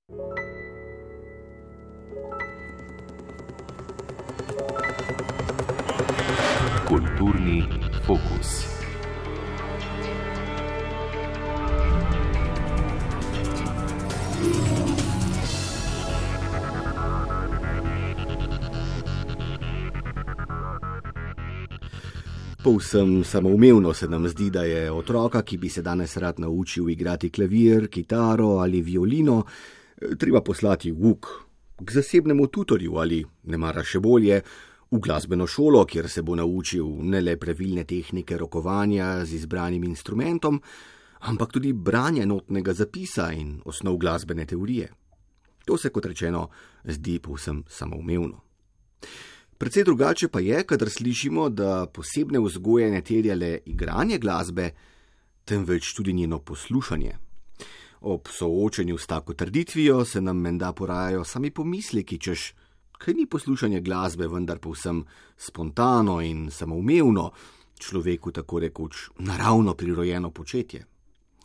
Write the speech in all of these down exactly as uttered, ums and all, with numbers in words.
Kulturni fokus. Povsem samoumevno se nam zdi, da je otroka, ki bi se danes rad naučil igrati klavir, kitaro ali violino, treba poslati v uk, k zasebnemu tutorju ali, nemara še bolje, v glasbeno šolo, kjer se bo naučil ne le pravilne tehnike rokovanja z izbranim instrumentom, ampak tudi branja notnega zapisa in osnov glasbene teorije. To se, kot rečeno, zdi povsem samoumevno. Predvsej drugače pa je, kadar slišimo, da posebne vzgoje ne terja le igranje glasbe, temveč tudi njeno poslušanje. Ob soočenju s tako trditvijo se nam menda porajajo sami pomisleki, češ, kaj ni poslušanje glasbe vendar povsem spontano in samoumevno, človeku tako rekoč naravno prirojeno početje.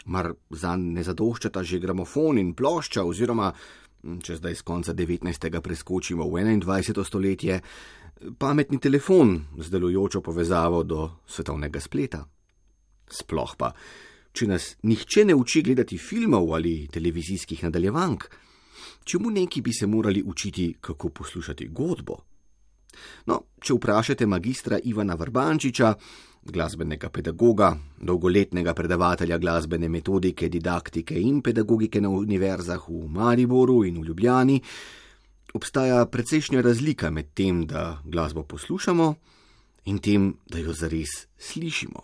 Mar zanj ne zadoščata že gramofon in plošča oziroma, če zdaj z konca devetnajstega preskočimo v enaindvajseto stoletje, pametni telefon z delujočo povezavo do svetovnega spleta. Sploh pa, če nas nihče ne uči gledati filmov ali televizijskih nadaljevank, čemu neki bi se morali učiti, kako poslušati godbo? No, če vprašate magistra Ivana Vrbančiča, glasbenega pedagoga, dolgoletnega predavatelja glasbene metodike, didaktike in pedagogike na univerzah v Mariboru in v Ljubljani, obstaja precejšnja razlika med tem, da glasbo poslušamo in tem, da jo zares slišimo.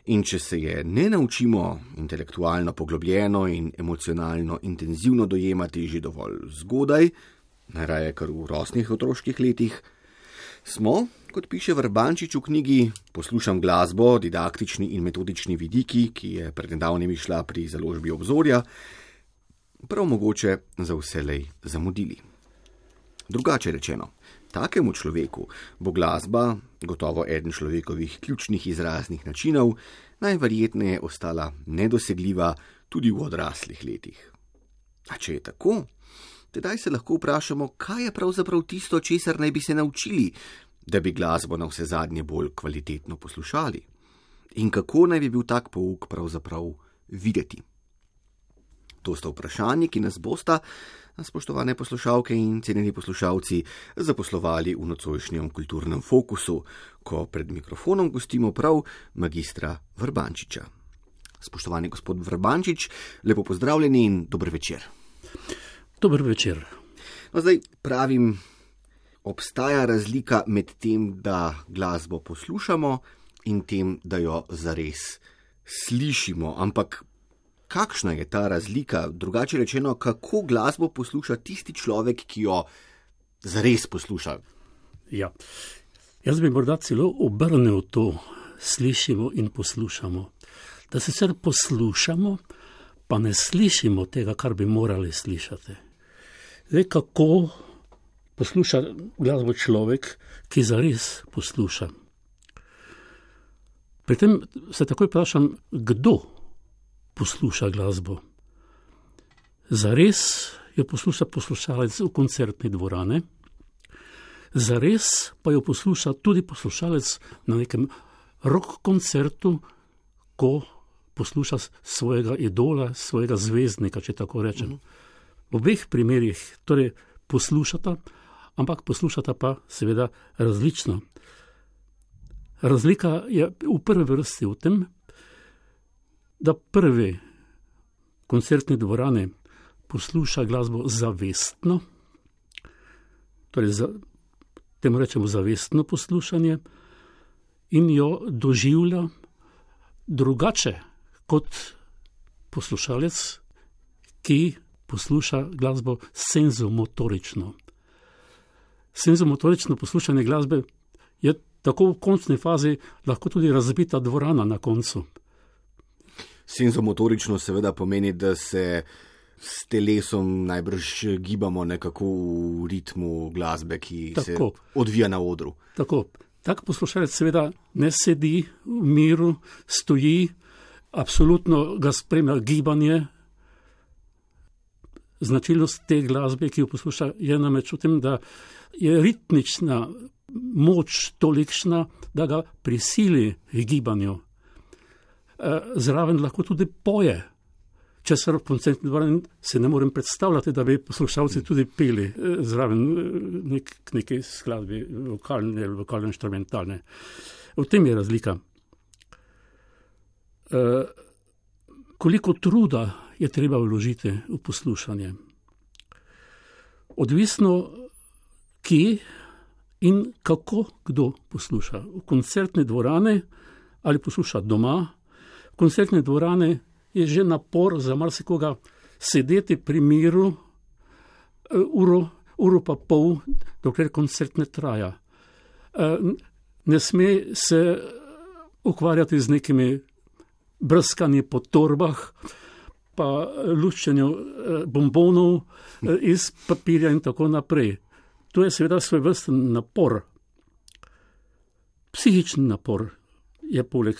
In če se je ne naučimo intelektualno poglobljeno in emocionalno intenzivno dojemati že dovolj zgodaj, najraje kar v rosnih otroških letih, smo, kot piše Vrbančič v knjigi Poslušam glasbo, didaktični in metodični vidiki, ki je pred nedavnim išla pri založbi Obzorja, prav mogoče za vselej zamudili. Drugače rečeno, takemu človeku bo glasba, gotovo eden človekovih ključnih izraznih načinov, najverjetneje ostala nedosegljiva tudi v odraslih letih. A če je tako, tedaj se lahko vprašamo, kaj je pravzaprav tisto, česar naj bi se naučili, da bi glasbo na vse zadnje bolj kvalitetno poslušali. In kako naj bi bil tak pouk pravzaprav videti? To sta vprašanji, ki nas bosta, spoštovane poslušalke in cenjeni poslušalci, zaposlovali v nocojšnjem kulturnem fokusu, ko pred mikrofonom gostimo prav magistra Vrbančiča. Spoštovani gospod Vrbančič, lepo pozdravljeni in dober večer. Dober večer. No, zdaj pravim, obstaja razlika med tem, da glasbo poslušamo in tem, da jo zares slišimo, ampak kakšna je ta razlika? Drugače rečeno, kako glasbo posluša tisti človek, ki jo zares posluša? Ja, jaz bi morda celo obrnil to, slišimo in poslušamo. Da se sicer poslušamo, pa ne slišimo tega, kar bi morali slišati. Zdaj, kako posluša glasbo človek, ki zares posluša? Pri tem se takoj vprašam, kdo posluša glasbo. Zares jo posluša poslušalec v koncertni dvorani, zares pa jo posluša tudi poslušalec na nekem rock koncertu, ko posluša svojega idola, svojega zvezdnika, če tako rečem. V obeh primerih torej poslušata, ampak poslušata pa seveda različno. Razlika je v prvi vrsti v tem, da prvi koncertni dvorani posluša glasbo zavestno, torej za, temu rečemo zavestno poslušanje, in jo doživlja drugače kot poslušalec, ki posluša glasbo senzomotorično. Senzomotorično poslušanje glasbe je tako v končni fazi lahko tudi razbita dvorana na koncu. Senzomotorično seveda pomeni, da se s telesom najbrž gibamo nekako v ritmu glasbe, ki tako se odvija na odru. Tako. Tak poslušalec seveda ne sedi v miru, stoji, absolutno ga spremlja gibanje. značilnost te glasbe, ki jo posluša, je namreč v tem, da je ritmična moč tolikšna, da ga prisili v gibanju. Zraven lahko tudi poje. Če se v koncertni dvorani se ne morem predstavljati, da bi poslušalci tudi peli zraven nek, neke skladbe, vokalne ali vokalne inštrumentalne. V tem je razlika. E, koliko truda je treba vložiti v poslušanje? Odvisno, kje in kako kdo posluša. V koncertne dvorane ali posluša doma. V koncertne dvorane je že napor za marsikoga sedeti pri miru uro, uro pa pol, dokler koncert ne traja. Ne sme se ukvarjati z nekimi brskanji po torbah, pa luščenju bombonov iz papirja in tako naprej. To je seveda svoj vrsten napor. Psihični napor je poleg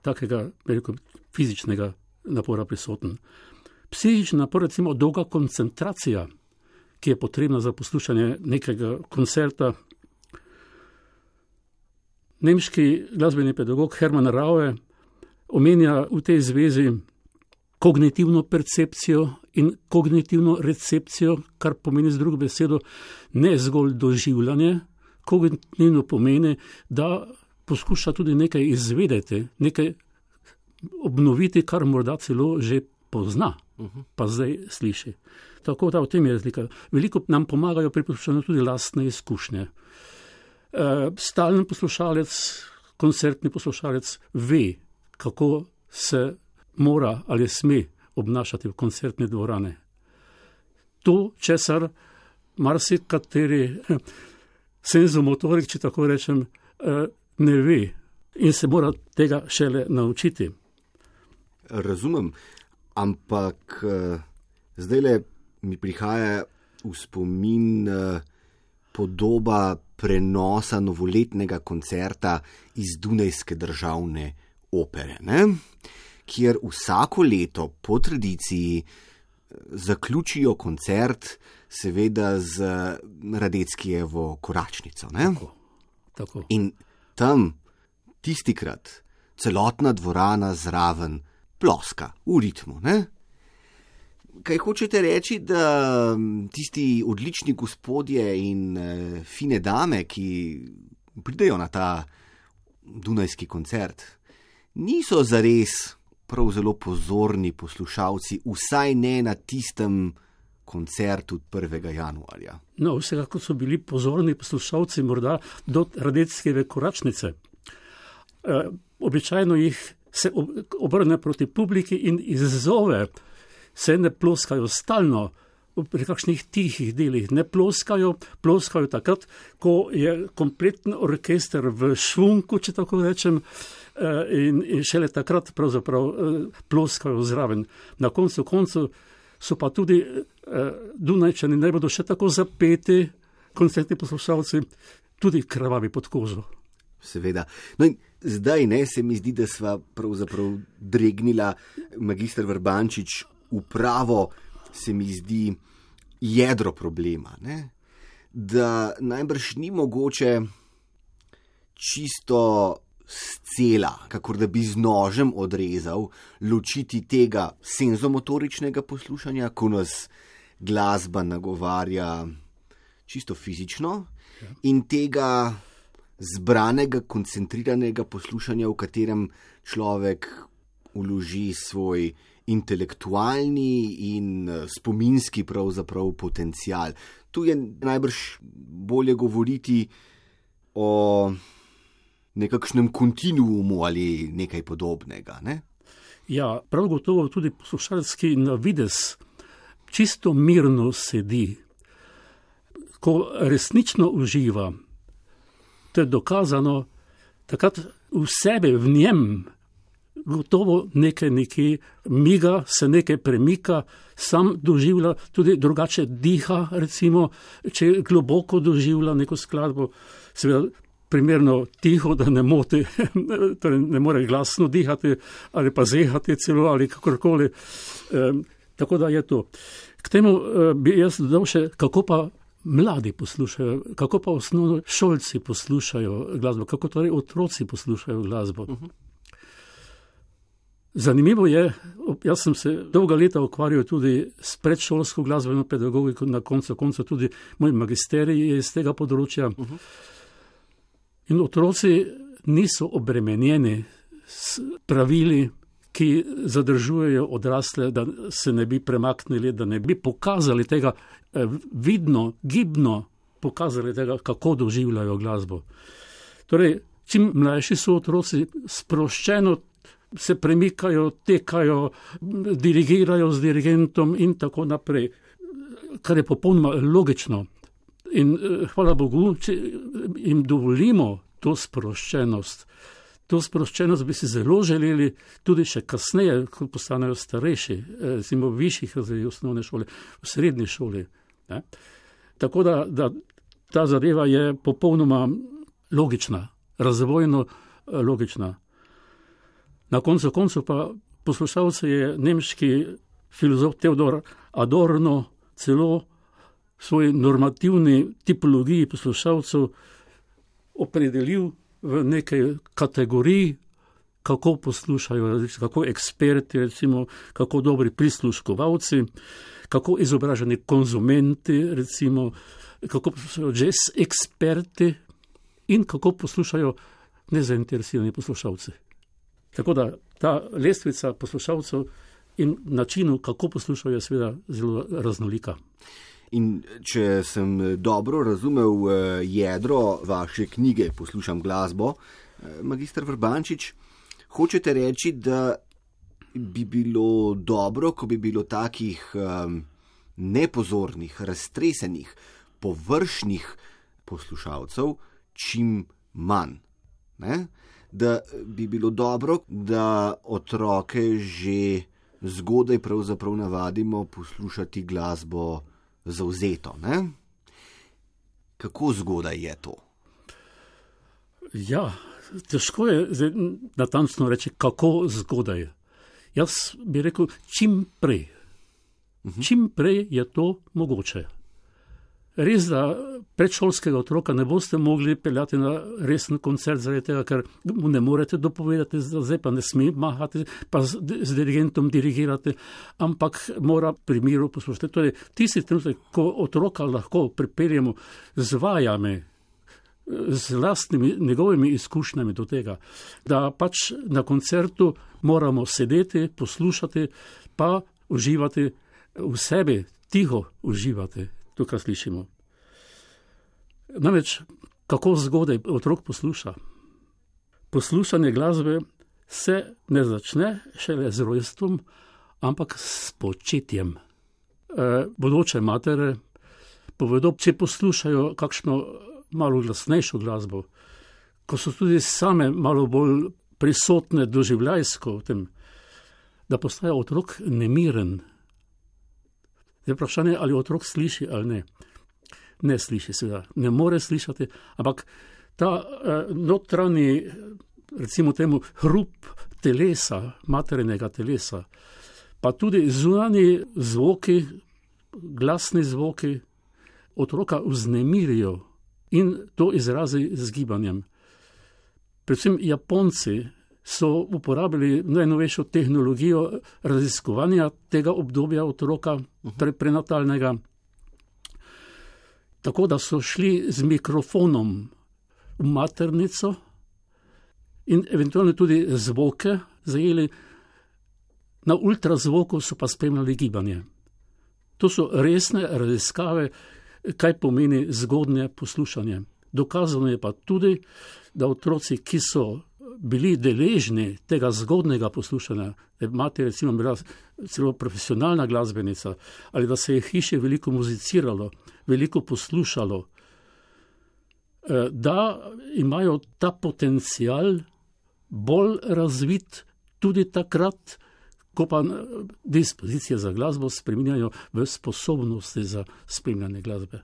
takega veliko fizičnega napora prisoten. Psihični napor, recimo dolga koncentracija, ki je potrebna za poslušanje nekega koncerta. Nemški glasbeni pedagog Hermann Raue omenja v tej zvezi kognitivno percepcijo in kognitivno recepcijo, kar pomeni z drugo besedo ne zgolj doživljanje. Kognitivno pomeni, da poskuša tudi nekaj izvedeti, nekaj obnoviti, kar morda celo že pozna, pa zdaj sliši. Tako da v tem je razlika. Veliko nam pomagajo pri poslušanju tudi lastne izkušnje. E, stalen poslušalec, koncertni poslušalec ve, kako se mora ali sme obnašati v koncertni dvorane. To, česar marsikateri senzomotorik, če tako rečem, ne ve in se mora tega šele naučiti. Razumem, ampak zdajle mi prihaja v spomin podoba prenosa novoletnega koncerta iz Dunajske državne opere, ne? Kjer vsako leto po tradiciji zaključijo koncert seveda z Radeckijevo Koračnico. Ne? Tako, tako. In tam tistikrat celotna dvorana zraven ploska v ritmu. Ne? Kaj hočete reči, da tisti odlični gospodje in e, fine dame, ki pridejo na ta dunajski koncert, niso zares prav zelo pozorni poslušalci, vsaj ne na tistem koncertu prvega januarja. No, vsekakor so bili pozorni poslušalci morda do Radeckijeve Koračnice. E, običajno jih se obrne proti publiki in izzove, se ne ploskajo stalno pri kakšnih tihih delih, ne ploskajo, ploskajo takrat, ko je kompleten orkester v švunku, če tako rečem, in, in šele takrat pravzaprav ploskajo zraven. Na koncu koncu so pa tudi Dunajčani ne bodo še tako zapeti, koncertni poslušalci, tudi krvavi pod kožo. Seveda. No in zdaj ne, se mi zdi, da sva pravzaprav dregnila magister Vrbančič v pravo, se mi zdi, jedro problema, ne? Da najbrž ni mogoče čisto scela, kakor da bi z nožem odrezal, ločiti tega senzomotoričnega poslušanja, ko nas glasba nagovarja čisto fizično, ja. In tega zbranega, koncentriranega poslušanja, v katerem človek vloži svoj intelektualni in spominski pravzaprav potencial. Tu je najbrž bolje govoriti o nekakšnem kontinuumu ali nekaj podobnega, ne? Ja, prav gotovo tudi poslušalec, ki na vides čisto mirno sedi, ko resnično uživa, to je dokazano, takrat v sebe, v njem, gotovo nekaj nekaj miga, se nekaj premika, sam doživlja, tudi drugače diha, recimo, če globoko doživlja neko skladbo, seveda primerno tiho, da ne moti, torej ne more glasno dihati ali pa zehati celo ali kakorkoli. E, tako da je to. K temu bi jaz dodal še, kako pa mladi poslušajo, kako pa osnovno šolci poslušajo glasbo, kako torej otroci poslušajo glasbo. Uh-huh. Zanimivo je, jaz sem se dolga leta ukvarjal tudi s predšolsko glasbeno pedagogiko, na koncu konca tudi moj magisterij je iz tega področja. Uh-huh. In otroci niso obremenjeni s pravili, ki zadržujejo odrasle, da se ne bi premaknili, da ne bi pokazali tega, vidno, gibno pokazali tega, kako doživljajo glasbo. Torej, čim mlajši so otroci, sproščeno se premikajo, tekajo, dirigirajo z dirigentom in tako naprej, kar je popolnoma logično. In hvala Bogu, če jim dovolimo to sproščenost, To sproščenost bi si zelo želeli tudi še kasneje, ko postanejo starejši, recimo v višjih razredih osnovne šole, v srednji šoli. Ne? Tako da, da ta zadeva je popolnoma logična, razvojno logična. Na koncu koncu pa poslušalce je nemški filozof Theodor Adorno celo v svoji normativni tipologiji poslušalcev opredelil v nekaj kategorij, kako poslušajo, kako eksperti, recimo, kako dobri prisluškovalci, kako izobraženi konzumenti, recimo, kako poslušajo jazz eksperti in kako poslušajo nezainteresirani poslušalci. Tako da ta lestvica poslušalcev in načinu, kako poslušajo, je seveda zelo raznolika. In če sem dobro razumel jedro vaše knjige Poslušam glasbo, magister Vrbančič, hočete reči, da bi bilo dobro, ko bi bilo takih um, nepozornih, raztresenih, površnih poslušalcev čim manj. Ne? Da bi bilo dobro, da otroke že zgodaj pravzaprav navadimo poslušati glasbo zavzeto, ne? Kako zgodaj je to? Ja, težko je natančno reči, kako zgodaj. Jaz bi rekel, čim prej. Uh-huh. Čim prej je to mogoče. Res, da predšolskega otroka ne boste mogli peljati na resen koncert zaradi tega, ker mu ne morete dopovedati, zdaj pa ne sme mahati, pa z, z dirigentom dirigirate, ampak mora pri miru poslušati. Torej, tisti trenutek, ko otroka lahko pripeljemo z vajami, z lastnimi njegovimi izkušnjami do tega, da pač na koncertu moramo sedeti, poslušati, pa uživati v sebi, tiho uživati. To, kar slišimo. Namreč, kako zgodaj otrok posluša? Poslušanje glasbe se ne začne šele z rojstvom, ampak s početjem. E, bodoče matere povedo, če poslušajo kakšno malo glasnejšo glasbo, ko so tudi same malo bolj prisotne doživljajsko v tem, da postaja otrok nemiren. Je vprašanje, ali otrok sliši ali ne. Ne sliši, seveda, ne more slišati, ampak ta eh, notranji, recimo temu, hrup telesa, materinega telesa, pa tudi zunanji zvoki, glasni zvoki, otroka vznemirijo in to izrazi z gibanjem. Predvsem Japonci so uporabili najnovejšo tehnologijo raziskovanja tega obdobja otroka, pre, prenatalnega, tako da so šli z mikrofonom v maternico in eventualno tudi zvoke zajeli, na ultrazvoku so pa spremljali gibanje. To so resne raziskave, kaj pomeni zgodnje poslušanje. Dokazano je pa tudi, da otroci, ki so bili deležni tega zgodnega poslušanja, da je mati recimo bila celo profesionalna glasbenica, ali da se je hiše veliko muziciralo, veliko poslušalo, da imajo ta potencial bolj razvit tudi takrat, ko pa dispozicije za glasbo spreminjajo v sposobnosti za spremljanje glasbe.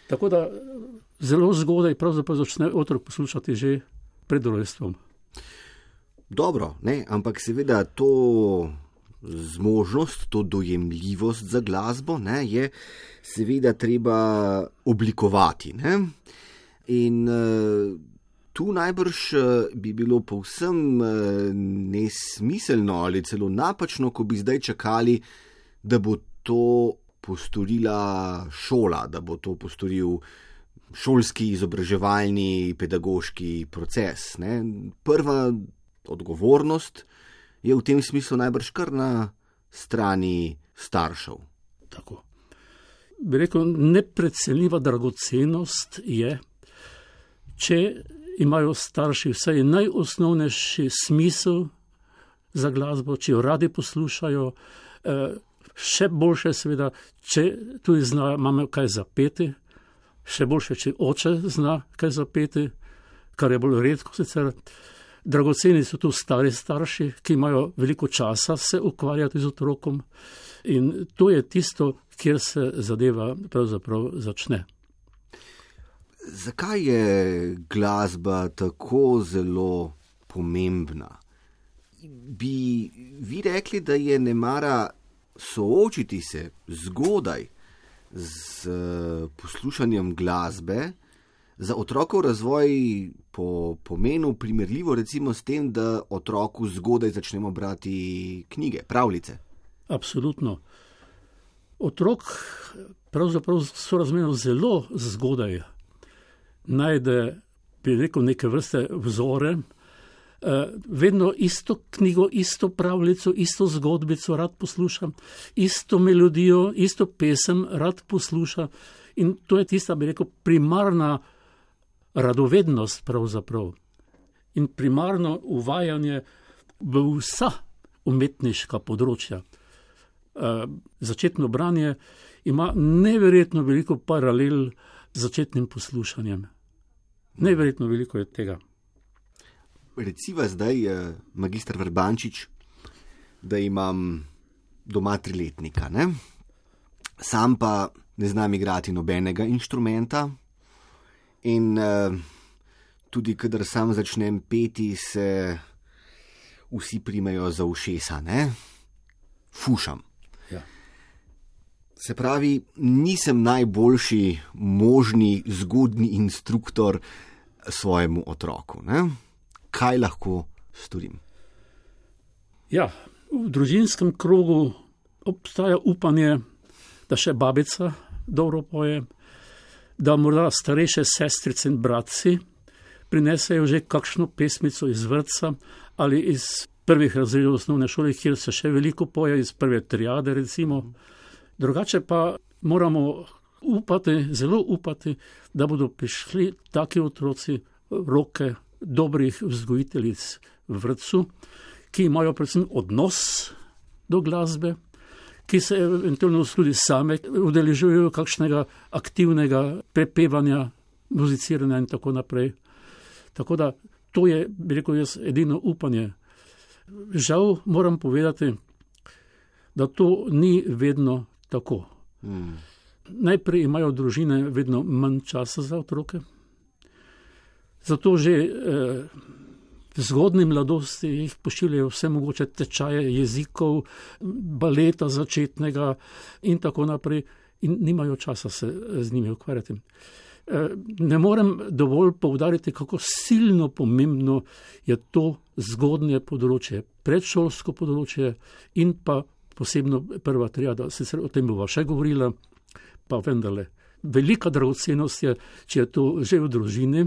Tako da zelo zgodaj pravzaprav začne otrok poslušati že pred rojstvom. Dobro, ne, ampak seveda to zmožnost, to dojemljivost za glasbo, ne, je seveda treba oblikovati. Ne? In uh, tu najbrž bi bilo povsem uh, nesmiselno ali celo napačno, ko bi zdaj čakali, da bo to postorila šola, da bo to postoril šolski izobraževalni pedagoški proces. Ne? Prva odgovornost je v tem smislu najbrž kar na strani staršev. Tako. Bi rekel, neprecenljiva dragocenost je, če imajo starši vsaj najosnovnejši smisel za glasbo, če jo radi poslušajo, še boljše seveda, če tudi zna mama kaj zapeti, še boljše, če oče zna kaj zapeti, kar je bolj redko sicer. Dragoceni so tu stari starši, ki imajo veliko časa se ukvarjati z otrokom in to je tisto, kjer se zadeva pravzaprav začne. Zakaj je glasba tako zelo pomembna? Bi vi rekli, da je nemara soočiti se zgodaj z poslušanjem glasbe za otrokov razvoj po pomenu primerljivo recimo s tem, da otroku zgodaj začnemo brati knjige, pravljice? Absolutno. Otrok pravzaprav sorazmerno zelo zgodaj najde, bi rekel, neke vrste vzore, vedno isto knjigo, isto pravljico, isto zgodbico rad poslušam, isto melodijo, isto pesem rad posluša in to je tista, bi rekel, primarna radovednost pravzaprav in primarno uvajanje v vsa umetniška področja. Začetno branje ima neverjetno veliko paralel z začetnim poslušanjem. Neverjetno veliko je tega. Reciva zdaj, magister Vrbančič, da imam doma triletnika, ne? Sam pa ne znam igrati nobenega inštrumenta in uh, tudi, kadar sam začnem peti, se vsi primejo za ušesa, ne? Fušam. Ja. Se pravi, nisem najboljši možni zgodni instruktor svojemu otroku, ne? Kaj lahko storim? Ja, v družinskem krogu obstaja upanje, da še babica dobro poje, da morda starejše sestrice in bratci prinesejo že kakšno pesmico iz vrtca ali iz prvih razredov osnovne šole, kjer se še veliko poje, iz prve triade recimo. Drugače pa moramo upati, zelo upati, da bodo prišli taki otroci v roke dobrih vzgojiteljic v vrtcu, ki imajo predvsem odnos do glasbe, ki se eventualno tudi same udeležujejo kakšnega aktivnega prepevanja, muziciranja in tako naprej. Tako da to je, bi rekel jaz, edino upanje. Žal moram povedati, da to ni vedno tako. Hmm. Najprej imajo družine vedno manj časa za otroke, zato že eh, v zgodnji mladosti jih pošiljajo vse mogoče tečaje jezikov, baleta začetnega in tako naprej in nimajo časa se z njimi ukvarjati. Eh, ne morem dovolj poudariti, kako silno pomembno je to zgodnje področje, predšolsko področje in pa posebno prva triada. Sicer o tem bova še govorila, pa vendarle. Velika dragocenost je, če je to že v družini,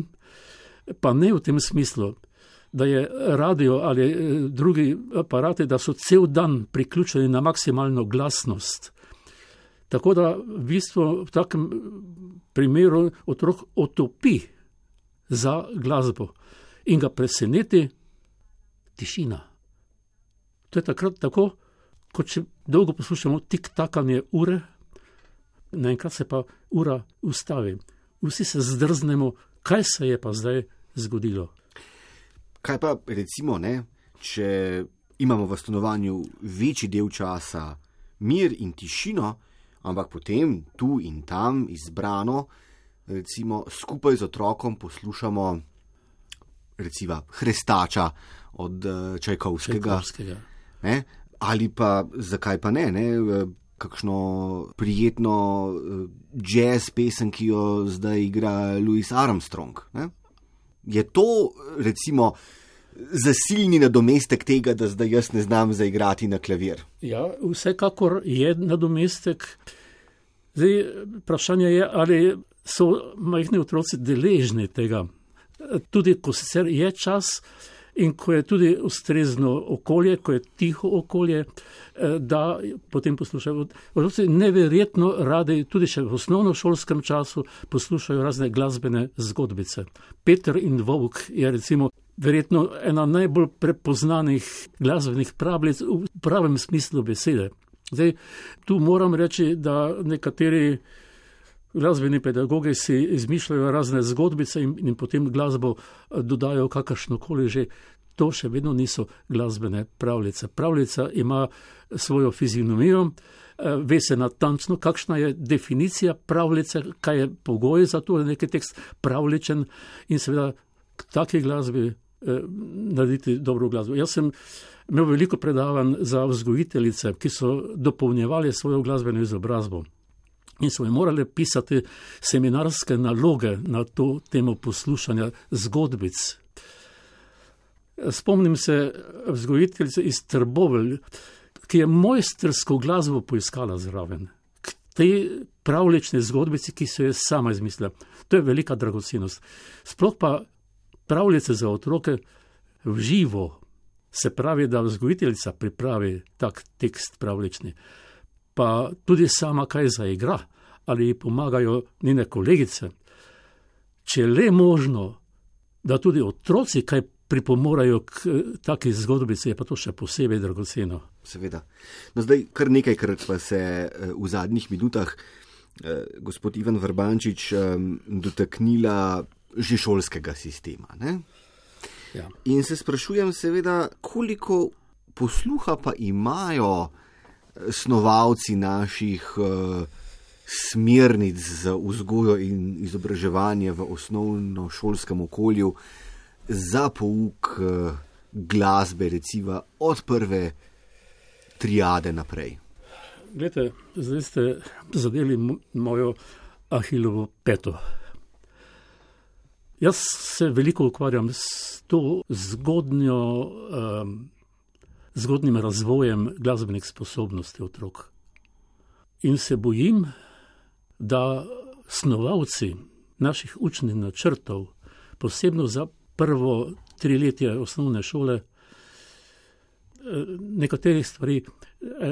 pa ne v tem smislu, da je radio ali drugi aparati, da so cel dan priključeni na maksimalno glasnost. Tako da v bistvu v takem primeru otrok otopi za glasbo in ga preseneti tišina. To je takrat tako, kot če dolgo poslušamo tik-takanje ure, naenkrat se pa ura ustavi. Vsi se zdrznemo, kaj se je pa zdaj zgodilo. Kaj pa recimo, ne, če imamo v stanovanju večji del časa mir in tišino, ampak potem tu in tam izbrano, recimo skupaj z otrokom poslušamo recimo Hrestača od Čajkovskega. Čajkovskega. Ne? Ali pa, zakaj pa ne, ne? Kakšno prijetno jazz pesem, ki jo zdaj igra Louis Armstrong. Ne? Je to, recimo, zasilni nadomestek tega, da zdaj jaz ne znam zaigrati na klavir? Ja, vsekakor je nadomestek. Zdaj, vprašanje je, ali so majhni otroci deležni tega. Tudi, ko sicer je čas in ko je tudi ustrezno okolje, ko je tiho okolje, da potem poslušajo. Otroci neverjetno radi, tudi še v osnovnošolskem času, poslušajo razne glasbene zgodbice. Peter in Volk je recimo verjetno ena najbolj prepoznanih glasbenih pravljic v pravem smislu besede. Zdaj, tu moram reči, da nekateri glasbeni pedagogi si izmišljajo razne zgodbice in, in potem glasbo dodajo kakršnokoli že. To še vedno niso glasbene pravljice. Pravljica ima svojo fizionomijo, ve se natančno, kakšna je definicija pravljice, kaj je pogoj za to, da je neki tekst pravličen in seveda k taki glasbi eh, narediti dobro glasbo. Jaz sem imel veliko predavanj za vzgojiteljice, ki so dopolnjevali svojo glasbeno izobrazbo. In so mi morali pisati seminarske naloge na to temo poslušanja zgodbic. Spomnim se vzgojiteljice iz Trbovelj, ki je mojstrsko glasbo poiskala zraven. K tej pravlični zgodbici, ki so jo sama izmislila. To je velika dragocenost. Sploh pa pravljice za otroke v živo, se pravi, da vzgojiteljica pripravi tak tekst pravlični. Pa tudi sama kaj zaigra, ali ji pomagajo njene kolegice. Če le možno, da tudi otroci kaj pripomorajo k taki zgodbici, je pa to še posebej dragoceno. Seveda. No zdaj, kar nekajkrat pa se v zadnjih minutah eh, gospod Ivan Vrbančič eh, dotaknila že šolskega sistema. Ne? Ja. In se sprašujem seveda, koliko posluha pa imajo snovalci naših uh, smernic za vzgojo in izobraževanje v osnovnošolskem okolju za pouk uh, glasbe, recimo od prve triade naprej. Glejte, zdaj ste zadeli mojo Ahilovo peto. Jaz se veliko ukvarjam s to zgodnjo um, zgodnim razvojem glasbenih sposobnosti otrok. In se bojim, da snovalci naših učnih načrtov, posebno za prvo triletje osnovne šole, nekaterih stvari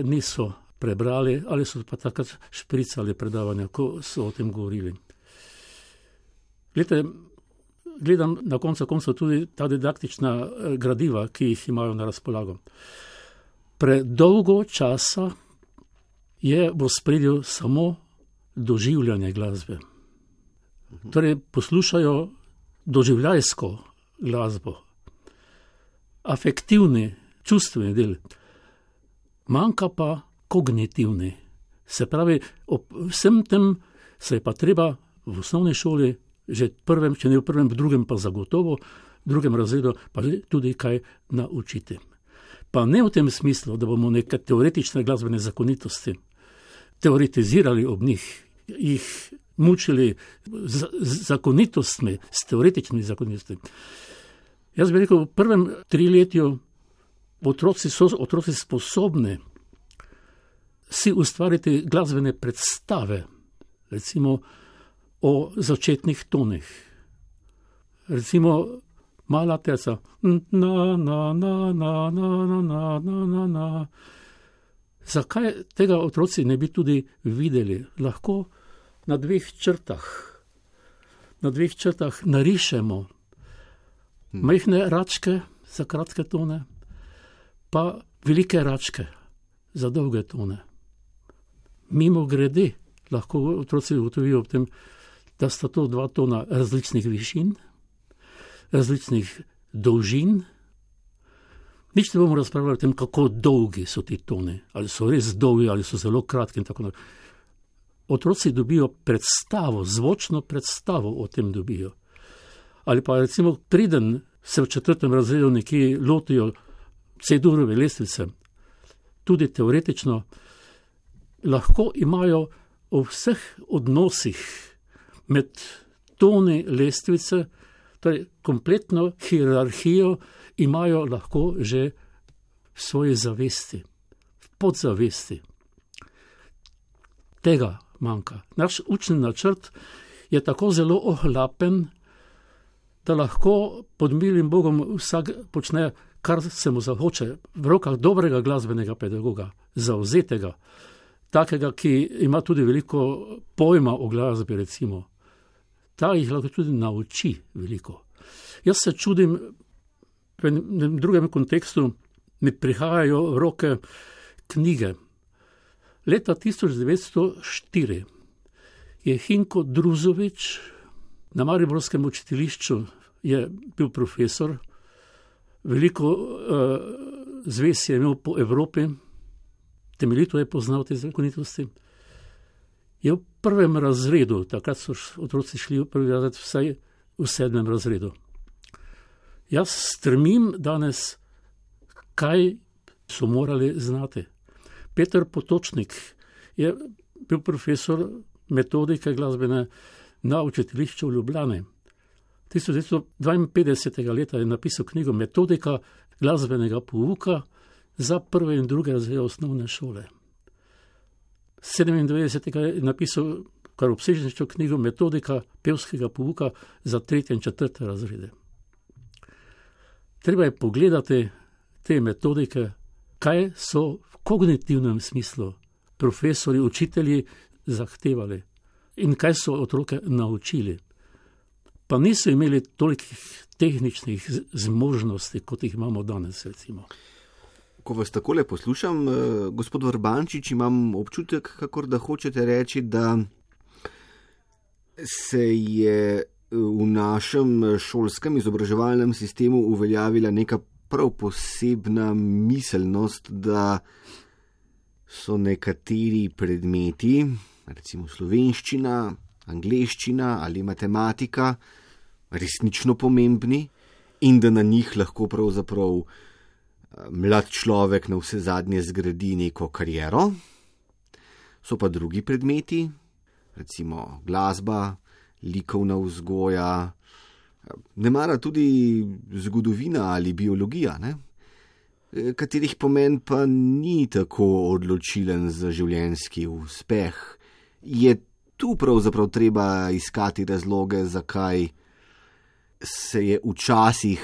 niso prebrali ali so pa takrat špricali predavanja, ko so o tem govorili. Glede, gledam na koncu koncev tudi ta didaktična gradiva, ki jih imajo na razpolago. Predolgo časa je v ospredju samo doživljanje glasbe. Torej poslušajo doživljajsko glasbo, afektivni, čustveni del, manjka pa kognitivni. Se pravi, ob vsem tem se je pa treba v osnovni šoli že prvem, če ne v prvem, v drugem pa zagotovo, v drugem razredu pa tudi kaj naučiti. Pa ne v tem smislu, da bomo neke teoretične glasbene zakonitosti teoretizirali ob njih, jih mučili z, z zakonitostmi, s teoretičnimi zakonitostmi. Jaz bi rekel, v prvem triletju otroci so otroci sposobni si ustvariti glasbene predstave, recimo o začetnih tonih. Recimo mala terca, na, na, na, na, na, na, na, na, na, na. Zakaj tega otroci ne bi tudi videli? Lahko na dveh črtah, na dveh črtah narišemo majhne račke za kratke tone, pa velike račke za dolge tone. Mimo grede lahko otroci ugotovijo ob tem, da sta to dva tona različnih višin, različnih dolžin. Nič ne bomo razpravljali o tem, kako dolgi so ti toni, ali so res dolgi, ali so zelo kratki in tako naprej. Otroci dobijo predstavo, zvočno predstavo o tem dobijo. Ali pa recimo preden se v četrtem razredu nekje lotijo C-durove lestvice, tudi teoretično, lahko imajo v vseh odnosih med toni lestvice, torej kompletno hierarhijo imajo lahko že v svoji zavesti, v podzavesti. Tega manjka. Naš učni načrt je tako zelo ohlapen, da lahko pod milim Bogom vsak počne, kar se mu zahoče, v rokah dobrega glasbenega pedagoga, zavzetega, takega, ki ima tudi veliko pojma o glasbi, recimo. Ta jih lahko tudi nauči veliko. Jaz se čudim, v enem drugem kontekstu mi prihajajo v roke knjige. Leta tisoč devetsto štiri je Hinko Druzovič na mariborskem učiteljišču je bil profesor, veliko uh, zvez je imel po Evropi, temeljito je poznal te zakonitosti. Je v prvem razredu, takrat so otroci šli v prvi razred, vsaj v sedmem razredu. Jaz stremim danes, kaj so morali znati. Peter Potočnik je bil profesor metodike glasbene na učiteljišču v Ljubljani. tisoč devetsto dvainpetdesetega leta je napisal knjigo Metodika glasbenega pouka za prve in druge razrede osnovne šole. sedemindevetdesetega je napisal kar obsežnejšo knjigo Metodika pevskega pouka za tretje in četrte razrede. Treba je pogledati te metodike, kaj so v kognitivnem smislu profesori, učitelji zahtevali in kaj so otroke naučili. Pa niso imeli tolikih tehničnih zmožnosti, kot jih imamo danes, recimo. Ko vas takole poslušam, gospod Vrbančič, imam občutek, kakor da hočete reči, da se je v našem šolskem izobraževalnem sistemu uveljavila neka prav posebna miselnost, da so nekateri predmeti, recimo slovenščina, angleščina ali matematika, resnično pomembni in da na njih lahko pravzaprav mlad človek na vse zadnje zgradi neko kariero. So pa drugi predmeti, recimo glasba, likovna vzgoja, nemara tudi zgodovina ali biologija, ne? Katerih pomen pa ni tako odločilen za življenjski uspeh. Je tu pravzaprav treba iskati razloge, zakaj se je včasih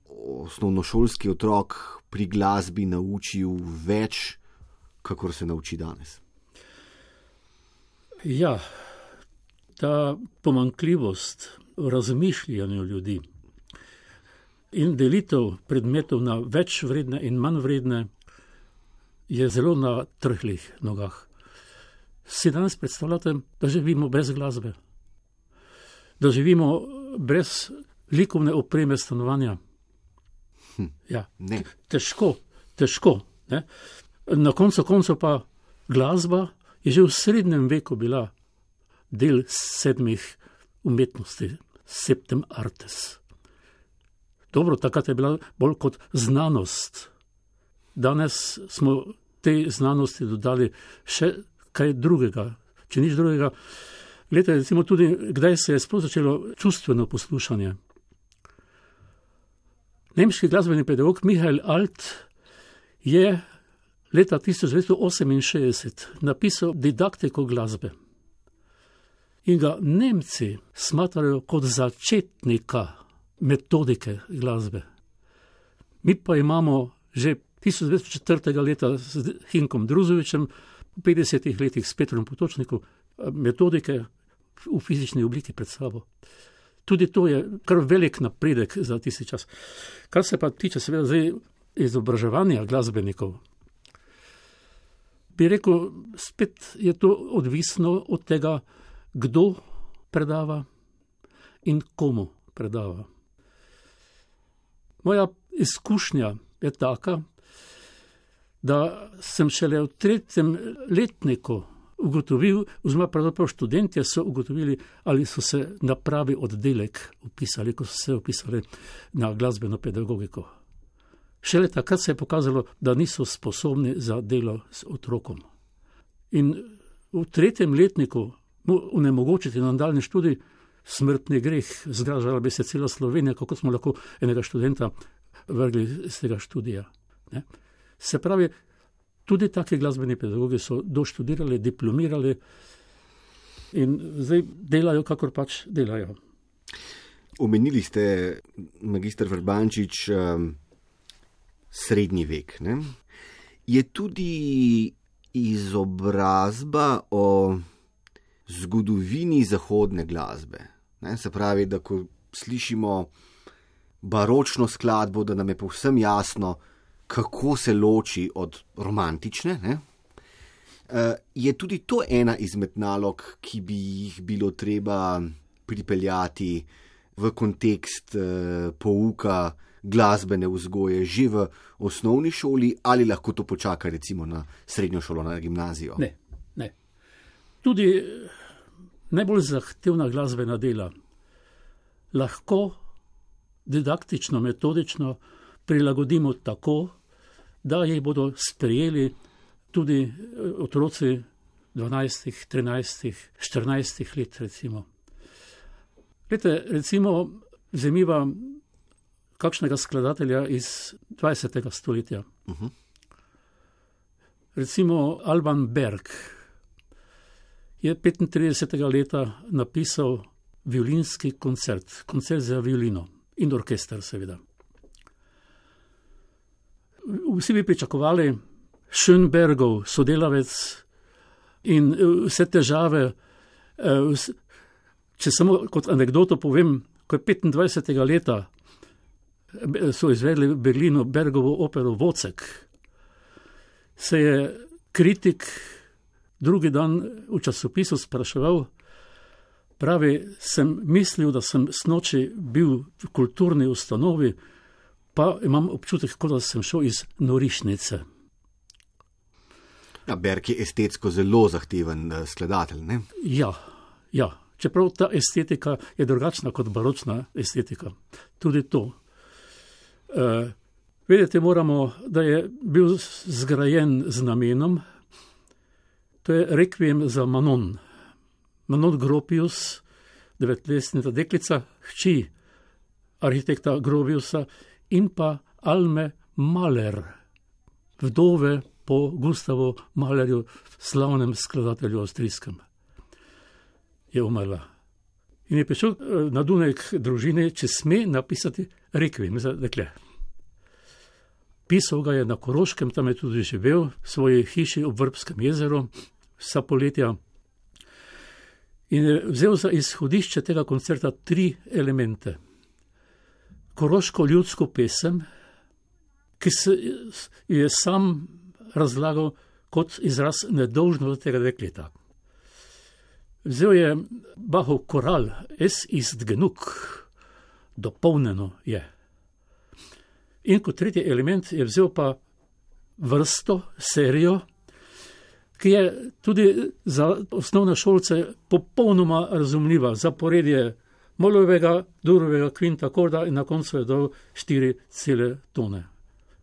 osnovnošolski otrok pri glasbi naučil več, kakor se nauči danes. Ja, ta pomanjkljivost v razmišljanju ljudi in delitev predmetov na več vredne in manj vredne je zelo na trhlih nogah. Si danes predstavljate, da živimo brez glasbe, da živimo brez likovne opreme stanovanja. Hm, ja, ne. Težko, težko. Ne? Na koncu koncev pa glasba je že v srednjem veku bila del sedmih umetnosti, septem artes. Dobro, takrat je bila bolj kot znanost. Danes smo tej znanosti dodali še kaj drugega, če nič drugega. Glejte, recimo tudi, kdaj se je sploh začelo čustveno poslušanje. Nemški glasbeni pedagog Michael Alt je leta tisoč devetsto oseminšestdeset napisal didaktiko glasbe. In ga Nemci smatrajo kot začetnika metodike glasbe. Mi pa imamo že tisoč devetsto četrtega leta z Hinkom Druzovičem, v petdesetih letih s Petrom Potočnikom, metodike v fizični obliki pred sabo. Tudi to je kar velik napredek za tisti čas. Kar se pa tiče seveda zdaj izobraževanja glasbenikov, bi rekel, spet je to odvisno od tega, kdo predava in komu predava. Moja izkušnja je taka, da sem šele v tretjem letniku ugotovil, oziroma pravzaprav študentje so ugotovili, ali so se na pravi oddelek upisali, ko so se upisali na glasbeno pedagogiko. Šele takrat se je pokazalo, da niso sposobni za delo s otrokom. In v tretjem letniku mu onemogočiti nadaljnji študij, smrtni greh, zgražala bi se cela Slovenija, kako smo lahko enega študenta vrgli iz tega študija. Ne? Se pravi, tudi taki glasbeni pedagogi so doštudirali, diplomirali in zdaj delajo, kakor pač delajo. Omenili ste, magister Vrbančič, srednji vek. Ne? Je tudi izobrazba o zgodovini zahodne glasbe. Ne? Se pravi, da ko slišimo baročno skladbo, da nam je povsem jasno, kako se loči od romantične. Ne? Je tudi to ena izmed nalog, ki bi jih bilo treba pripeljati v kontekst pouka glasbene vzgoje že v osnovni šoli, ali lahko to počaka recimo na srednjo šolo, na gimnazijo? Ne, ne. Tudi najbolj zahtevna glasbena dela lahko didaktično, metodično prilagodimo tako, da jih bodo sprejeli tudi otroci dvanajstih, trinajstih, štirinajstih let recimo. Glede, recimo, vzemiva kakšnega skladatelja iz dvajsetega stoletja. Uh-huh. Recimo Alban Berg je petintridesetega leta napisal violinski koncert, koncert za violino in orkester seveda. Vsi bi pričakovali Schönbergov sodelavec in vse težave. Če samo kot anekdoto povem, ko je petindvajsetega leta so izvedli v Berlinu Bergovo opero Vocek, se je kritik drugi dan v časopisu spraševal, pravi, sem mislil, da sem snoči bil v kulturni ustanovi, pa imam občutek, kot da sem šel iz norišnice. Ja, Berg je estetsko zelo zahteven skladatelj, ne? Ja, ja. Čeprav ta estetika je drugačna kot baročna estetika. Tudi to. Uh, vedeti moramo, da je bil zgrajen z namenom, to je rekviem za Manon. Manon Gropius, devetletna deklica, hči arhitekta Gropiusa in pa Alme Mahler, vdove po Gustavu Mahlerju, slavnem skladatelju avstrijskem. Je umrla. In je prišel na Dunaj k družini, če sme napisati rekviem za dekle. Pisal ga je na Koroškem, tam je tudi živel, v svoji hiši ob Vrbskem jezeru, vsa poletja. In je vzel za izhodišče tega koncerta tri elemente. Koroško ljudsko pesem, ki se je sam razlagal kot izraz nedolžnosti tega dekleta. Vzel je Bachov koral, es ist genug, dopolnjeno je. In kot tretji element je vzel pa vrsto, serijo, ki je tudi za osnovne šolce popolnoma razumljiva. Zaporedje molovega, durovega kvinta, akorda in na koncu je dal štiri cele tone.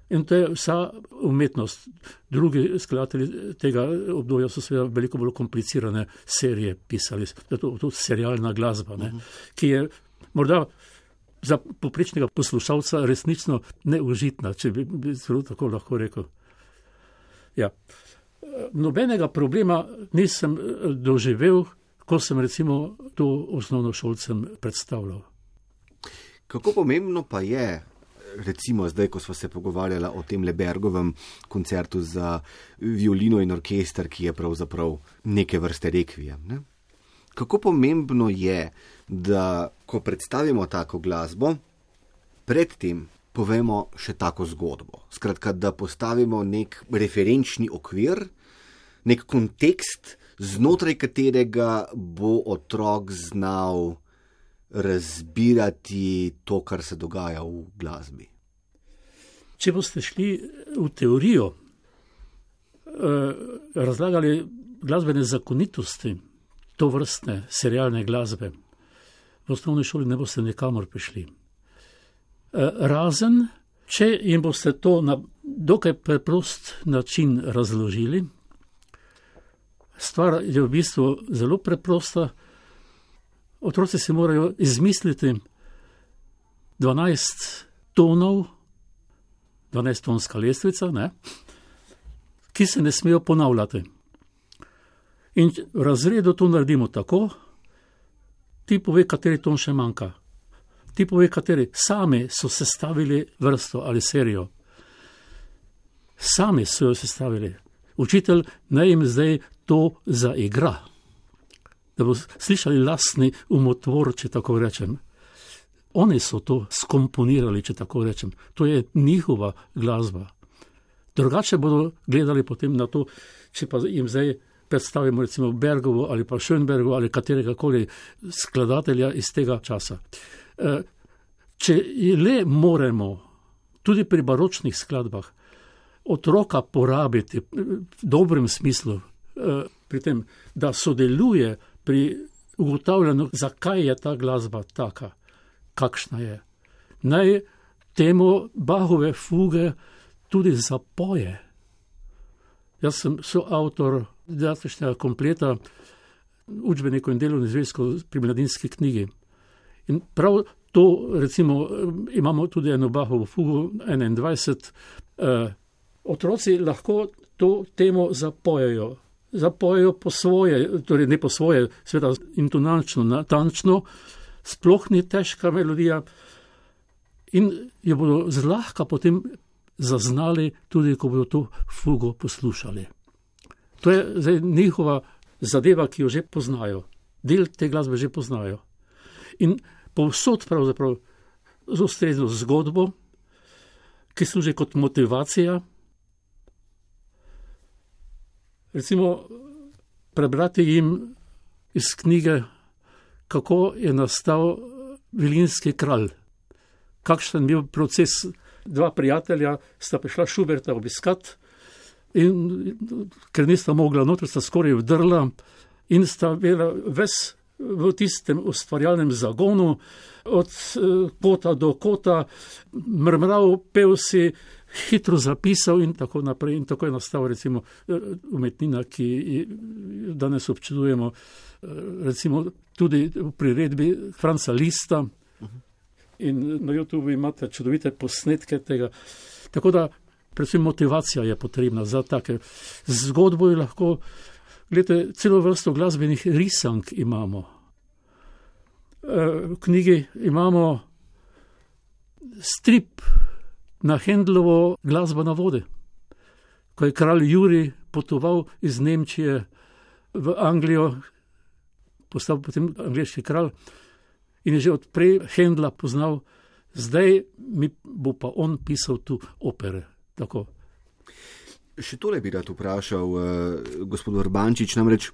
In to je vsa umetnost. Drugi skladatelji tega obdobja so seveda veliko bolj komplicirane serije pisali. To je tudi serialna glasba, ne? Ki je morda za poprečnega poslušalca resnično neužitna, če bi, bi zelo tako lahko rekel. Ja. Nobenega problema nisem doživel, ko sem recimo to osnovnošolcem predstavljal. Kako pomembno pa je, recimo zdaj, ko smo se pogovarjali o tem Bergovem koncertu za violino in orkester, ki je pravzaprav neke vrste rekviem, ne? Kako pomembno je, da ko predstavimo tako glasbo, predtem povemo še tako zgodbo. Skratka, da postavimo nek referenčni okvir, nek kontekst, znotraj katerega bo otrok znal razbirati to, kar se dogaja v glasbi. Če boste šli v teorijo, razlagali glasbene zakonitosti, to vrstne serialne glasbe, v osnovni šoli ne boste nikamor prišli. Razen, Če jim boste to na dokaj preprost način razložili, stvar je v bistvu zelo preprosta. Otroci si morajo izmisliti dvanajst tonov, dvanajstonska lestvica, ne, ki se ne smejo ponavljati. In v razredu to naredimo tako, ti pove, kateri ton še manjka. Ti pove, kateri sami so sestavili vrsto ali serijo. Sami so jo sestavili. Učitelj naj jim zdaj to zaigra, da bo slišali lastni umotvor, če tako rečem. Oni so to skomponirali, če tako rečem. To je njihova glasba. Drugače bodo gledali potem na to, če pa jim zdaj predstavimo recimo Bergovo ali pa Schönbergovo ali katerega koli skladatelja iz tega časa. Če le moremo tudi pri baročnih skladbah otroka porabiti v dobrem smislu, pri tem, da sodeluje pri ugotavljanju, zakaj je ta glasba taka, kakšna je. Naj temu Bachove fuge tudi zapoje. Jaz sem soavtor didaktičnega kompleta učbenikov in delovnih zvezkov pri Mladinski knjigi. In prav to, recimo, imamo tudi eno Bachovo fugo enaindvajset. Eh, otroci lahko to temo zapojejo. Zapojejo po svoje, torej ne po svoje, seveda intonalčno, natančno, sploh ni težka melodija in jo bodo zlahka potem zaznali tudi, ko bodo to fugo poslušali. To je zdaj njihova zadeva, ki jo že poznajo. Del te glasbe že poznajo. In povsod pravzaprav z ustrezno zgodbo, ki služi kot motivacija. Recimo prebrati jim iz knjige, kako je nastal Vilinski kralj. Kakšen je bil proces. Dva prijatelja sta prišla Schuberta obiskat in ker nista mogla noter, sta skoraj vdrla in sta bila ves v tistem ustvarjalnem zagonu, od kota do kota, mrmral, pel si, hitro zapisal in tako naprej. In tako je nastal recimo umetnina, ki danes občudujemo, recimo tudi v priredbi Franca Lista. In na YouTubeu imate čudovite posnetke tega. Tako da predvsem motivacija je potrebna za take. Zgodbo je lahko, gledajte, celo vrsto glasbenih risank imamo. V knjigi imamo strip na Händlovo Glasba na vodi, ko je kralj Jurij potoval iz Nemčije v Anglijo, postal potem angleški kralj, in je že odprej Händla poznal, zdaj mi bo pa on pisal tu opere. Tako. Še tole bi rad vprašal, uh, gospod Urbančič, namreč,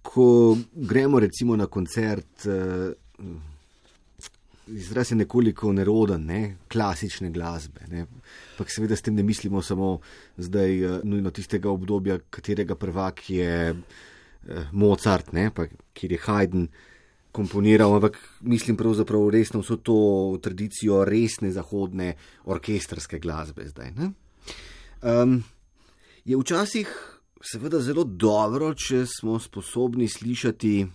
ko gremo recimo na koncert, uh, izraz je nekoliko neroden, ne? Klasične glasbe, ne? Pa seveda s tem ne mislimo samo zdaj uh, nujno tistega obdobja, katerega prvak je uh, Mozart, ne? Pa kjer je Haydn komponiral, ampak mislim pravzaprav resno vso to tradicijo resne zahodne orkestrske glasbe zdaj. Ne? Um, je včasih seveda zelo dobro, če smo sposobni slišati,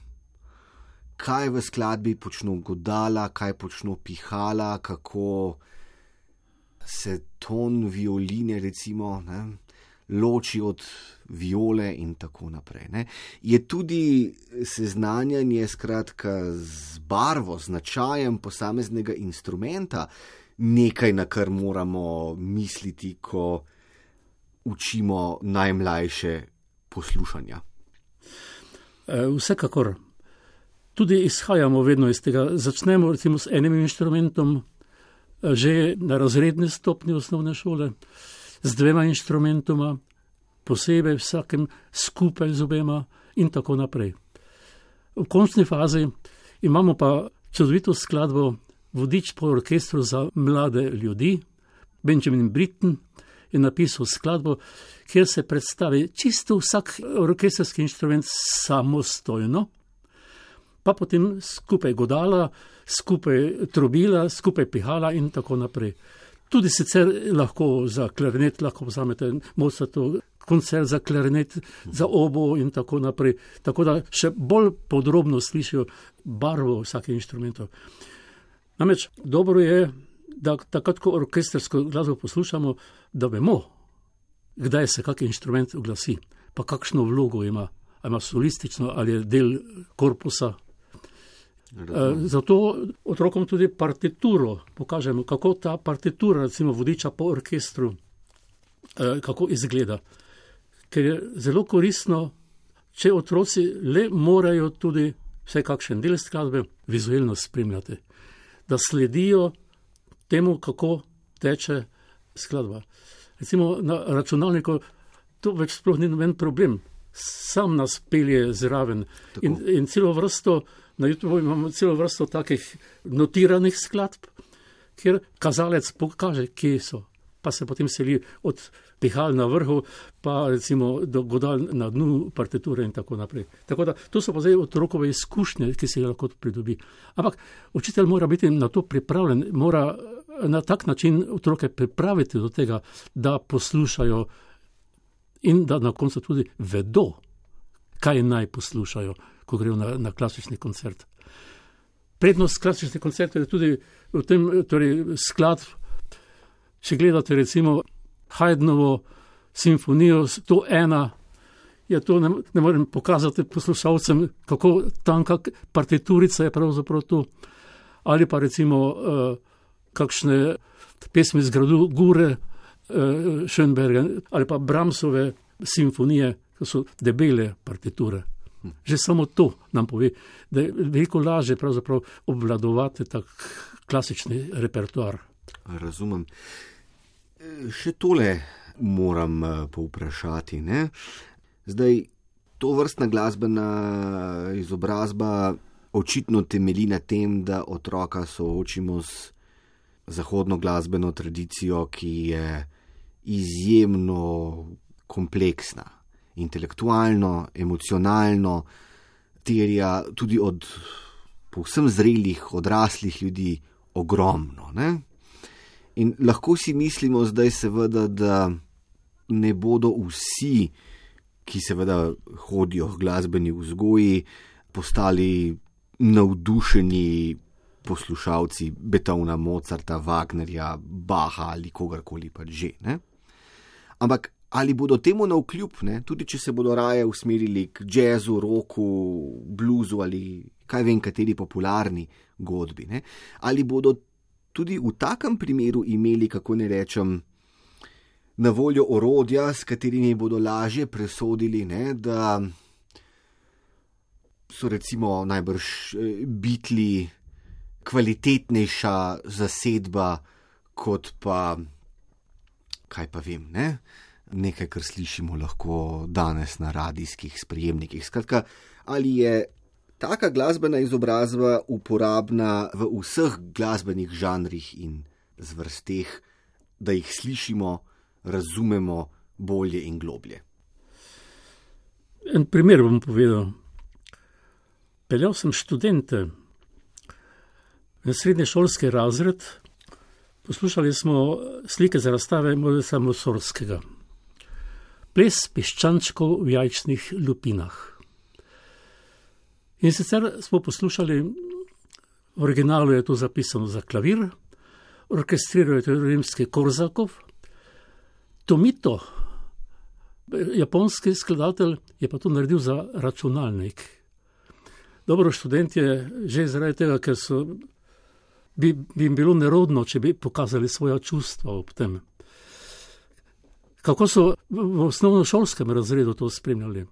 kaj v skladbi počno godala, kaj počno pihala, kako se ton violine recimo, ne, loči od viole in tako naprej. Ne. Je tudi seznanjanje skratka z barvo, značajem posameznega instrumenta nekaj, na kar moramo misliti, ko učimo najmlajše poslušanja? Vsekakor. Tudi izhajamo vedno iz tega. Začnemo recimo s enim inštrumentom že na razredni stopni osnovne šole, z dvema inštrumentoma, posebej vsakem skupaj z obema in tako naprej. V končni fazi imamo pa čudovito skladbo Vodič po orkestru za mlade ljudi. Benjamin Britten je napisal skladbo, kjer se predstavi čisto vsak orkestrski inštrument samostojno, pa potem skupaj godala, skupaj trobila, skupaj pihala in tako naprej. Tudi sicer lahko za klarinet, lahko vzamete Mozartov koncert za klarinet, za obo in tako naprej. Tako da še bolj podrobno slišijo barvo vsakih inštrumentov. Namreč dobro je, da takrat, ko orkestrsko glasbo poslušamo, da vemo, kdaj se kak inštrument oglasi, pa kakšno vlogo ima. Ali ima solistično, ali je del korpusa. E, zato otrokom tudi partituro pokažemo, kako ta partitura, recimo vodiča po orkestru, e, kako izgleda. Ker je zelo koristno, če otroci le morajo tudi vsaj kakšen del skladbe vizualno spremljati, da sledijo temu, kako teče skladba. Recimo na računalniku to več sploh ni noben problem. Sam nas pelje zraven in, in celo vrsto, na YouTube imamo celo vrsto takih notiranih skladb, kjer kazalec pokaže, kje so. Pa se potem seli od pihal na vrhu, pa recimo do godal na dnu partiture in tako naprej. Tako da to so pa zdaj otrokove izkušnje, ki se jih lahko pridobi. Ampak učitelj mora biti na to pripravljen, mora na tak način otroke pripraviti do tega, da poslušajo in da na koncu tudi vedo, kaj naj poslušajo, ko grejo na, na klasični koncert. Prednost klasičnih koncertov je tudi v tem, torej skladb. Če gledate recimo Haydnovo simfonijo sto ena, je to, ne, ne morem pokazati poslušalcem, kako tanka partiturica je pravzaprav to. Ali pa recimo uh, kakšne pesmi z gradu Gure, uh, Schönberga, ali pa Brahmsove simfonije, to so debele partiture. Že samo to nam pove, da je veliko lažje pravzaprav obvladovati tak klasični repertoar. Razumem. Še tole moram povprašati, ne? Zdaj, to vrstna glasbena izobrazba očitno temelji na tem, da otroka soočimo s zahodno glasbeno tradicijo, ki je izjemno kompleksna, intelektualno, emocionalno, terja tudi od povsem zrelih, odraslih ljudi ogromno, ne? In lahko si mislimo zdaj seveda, da ne bodo vsi, ki seveda hodijo v glasbeni vzgoji, postali navdušeni poslušalci Beethovna, Mozarta, Wagnerja, Bacha ali kogarkoli pač že. Ne? Ampak ali bodo temu navkljub, ne? Tudi če se bodo raje usmerili k jazzu, roku, bluzu ali kaj vem kateri popularni godbi, ne? Ali bodo tudi v takem primeru imeli, kako ne rečem, na voljo orodja, s katerimi bodo lažje presodili, ne, da so recimo najbrž Beatli kvalitetnejša zasedba kot pa, kaj pa vem, ne, nekaj, kar slišimo lahko danes na radijskih sprejemnikih. Skratka, ali je taka glasbena izobrazba uporabna v vseh glasbenih žanrih in zvrsteh, da jih slišimo, razumemo bolje in globlje. En primer bom povedal. Peljal sem študente v srednješolski razred, poslušali smo slike za razstave Mojca Mussorgskega. Ples piščančkov v jajčnih lupinah. In sicer smo poslušali, v originalu je to zapisano za klavir, orkestriral je to rimski Korsakov, Tomito, japonski skladatelj, je pa to naredil za računalnik. Dobro, študent je že zaradi tega, ker so, bi, bi jim bilo nerodno, če bi pokazali svoja čustva ob tem. Kako so v osnovnošolskem razredu to spremljali?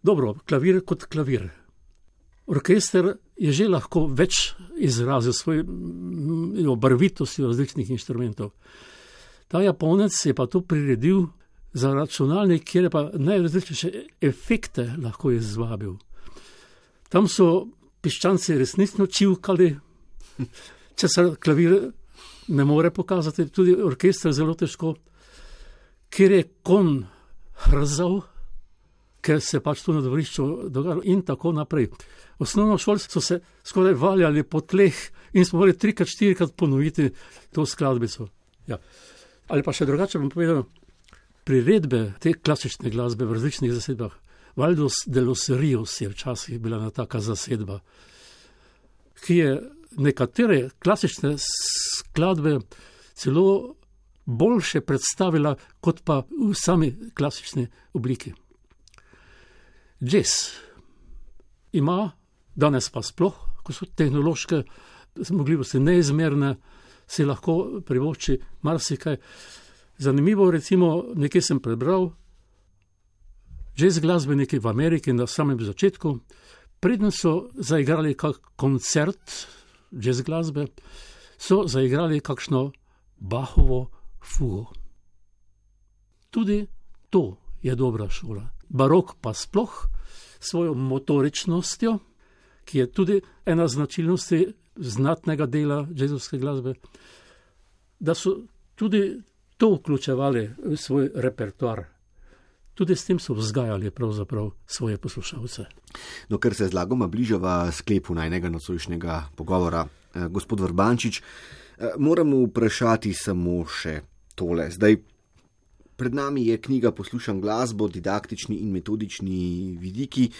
Dobro, klavir kot klavir. Orkester je že lahko več izrazil svojo barvitosti različnih inštrumentov. Ta Japonec je pa to priredil za računalnik, kjer je pa najrazličnejše efekte lahko izvabil. Tam so piščanci resnično čivkali, če se klavir ne more pokazati, tudi orkester zelo težko, kjer je kon hrzal, ker se pač tu na dvorišču dogajalo in tako naprej. Osnovno šolo so se skoraj valjali po tleh in smo morali trikrat, štirikrat ponoviti to skladbico. Ja. Ali pa še drugače bom povedal, priredbe te klasične glasbe v različnih zasedbah, Valdos de los Rios je včasih bila ena taka zasedba, ki je nekatere klasične skladbe celo boljše predstavila, kot pa v sami klasični obliki. Jazz ima, danes pa sploh, ko so tehnološke zmogljivosti neizmerne, si lahko privošči marsikaj. Zanimivo, recimo, nekje sem prebral, jazz glasbeniki v Ameriki na samem začetku, preden so zaigrali kak koncert jazz glasbe, so zaigrali kakšno Bachovo fugo. Tudi to je dobra šola. Barok pa sploh svojo motoričnostjo, ki je tudi ena značilnosti znatnega dela jazzovske glasbe, da so tudi to vključevali v svoj repertoar. Tudi s tem so vzgajali pravzaprav svoje poslušalce. No, ker se zlagoma bližava sklepu najnega nocojšnjega pogovora, eh, gospod Vrbančič, eh, moramo vprašati samo še tole. Zdaj, pred nami je knjiga Poslušam glasbo, didaktični in metodični vidiki,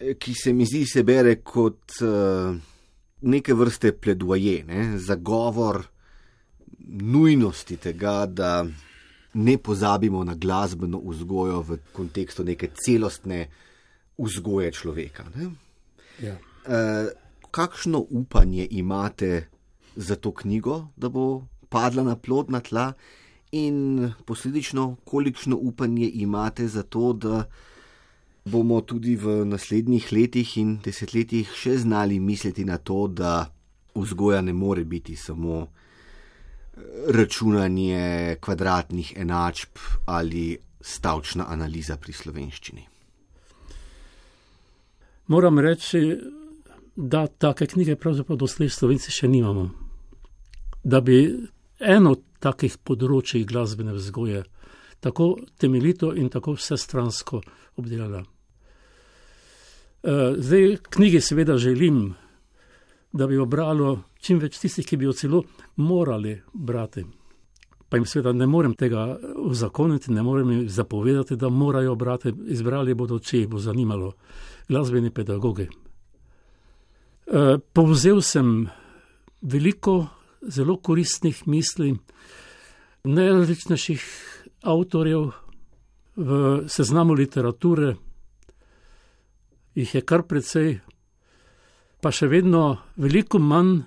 eh, ki se mi zdi se bere kot eh, neke vrste pledoaje, ne, zagovor nujnosti tega, da ne pozabimo na glasbeno vzgojo v kontekstu neke celostne vzgoje človeka. Ne? Ja. E, kakšno upanje imate za to knjigo, da bo padla na plodna tla, in posledično, kolikšno upanje imate za to, da bomo tudi v naslednjih letih in desetletjih še znali misliti na to, da vzgoja ne more biti samo računanje kvadratnih enačb ali stavčna analiza pri slovenščini. Moram reči, da take knjige pravzaprav doslej Slovenci še nimamo. Da bi eno takih področij glasbene vzgoje tako temeljito in tako vsestransko obdelala. Zdaj, knjigi seveda želim, da bi jo bralo čim več tistih, ki bi jo celo morali brati. Pa jim seveda ne morem tega uzakoniti, ne morem jim zapovedati, da morajo brati, izbrali bodo, če jih bo zanimalo, glasbeni pedagogi. E, povzel sem veliko zelo koristnih misli najrazličnejših avtorjev v seznamu literature, jih je kar precej, pa še vedno veliko manj.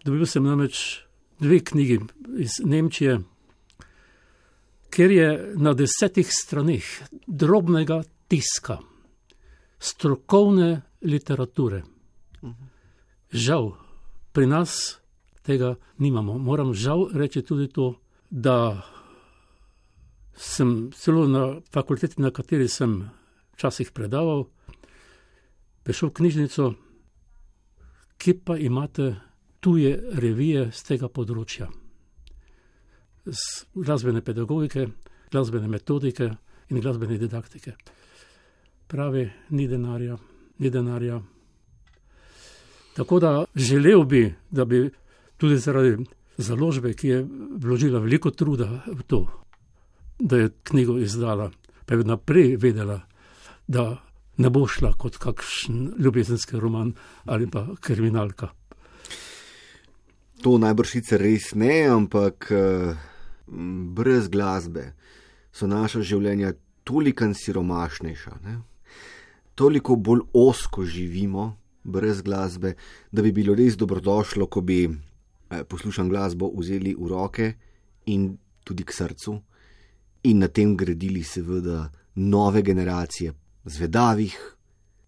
Dobil sem namreč dve knjigi iz Nemčije, kjer je na desetih straneh drobnega tiska strokovne literature. Žal, pri nas tega nimamo. Moram žal reči tudi to, da sem celo na fakulteti, na kateri sem včasih predaval, prišel v knjižnico, ki pa imate tuje revije z tega področja. Z glasbene pedagogike, glasbene metodike in glasbene didaktike. Pravi, ni denarja, ni denarja. Tako da želel bi, da bi tudi zaradi založbe, ki je vložila veliko truda v to, da je knjigo izdala, pa je naprej vedela, da ne bo šla kot kakšen ljubezenski roman ali pa kriminalka. To najbrž sicer res ne, ampak brez glasbe so naša življenja toliko siromašnejša, ne? Toliko bolj ozko živimo brez glasbe, da bi bilo res dobrodošlo, ko bi Poslušam glasbo vzeli v roke in tudi k srcu in na tem gradili seveda nove generacije zvedavih,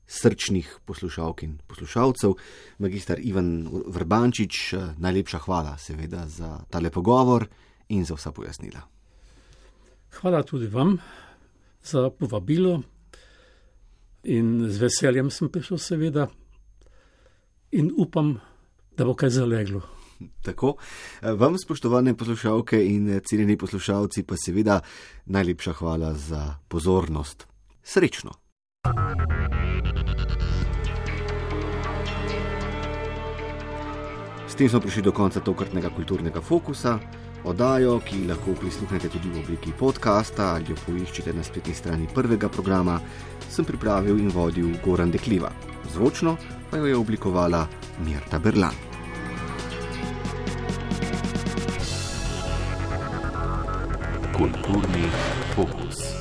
srčnih poslušalk in poslušalcev. Magister Ivan Vrbančič, najlepša hvala seveda za tale pogovor in za vsa pojasnila. Hvala tudi vam za povabilo in z veseljem sem prišel seveda in upam, da bo kaj zaleglo. Tako, vam, spoštovane poslušalke in cenjeni poslušalci, pa seveda najlepša hvala za pozornost. Srečno! S tem smo prišli do konca tokratnega kulturnega fokusa. Oddajo, ki lahko prisluhnete tudi v obliki podcasta ali jo poiščete na spletni strani prvega programa, sem pripravil in vodil Goran Dekliva. Zvočno pa jo je oblikovala Mirta Berlan. Kulturni fokus.